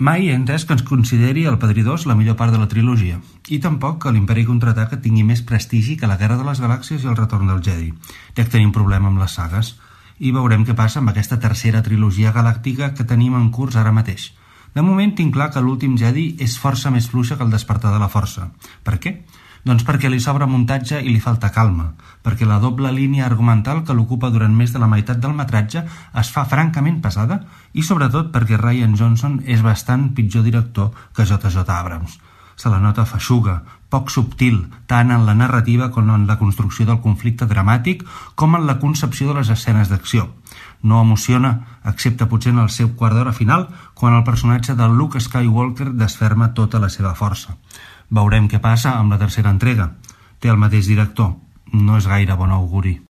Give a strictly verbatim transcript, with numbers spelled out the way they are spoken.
Mai he entès que ens consideri El Padrí dos la millor part de la trilogia, i tampoc que l'Imperi Contraataca tingui més prestigi que la Guerra de les Galàxies i El Retorn del Jedi. Dec tenir un problema amb les sagues, i veurem què passa amb aquesta tercera trilogia galàctica que tenim en curs ara mateix. De moment tinc clar que l'Últim Jedi és força més fluixa que El Despertar de la Força. Per què? Doncs perquè li sobra muntatge i li falta calma, perquè la doble línia argumental que l'ocupa durant més de la meitat del metratge es fa francament pesada i sobretot perquè Rian Johnson és bastant pitjor director que J J Abrams. Se la nota feixuga, poc subtil, tant en la narrativa com en la construcció del conflicte dramàtic com en la concepció de les escenes d'acció. No emociona, excepte potser en el seu quart d'hora final, quan el personatge de Luke Skywalker desferma tota la seva força. Veurem què passa amb la tercera entrega. Té el mateix director. No és gaire bon auguri.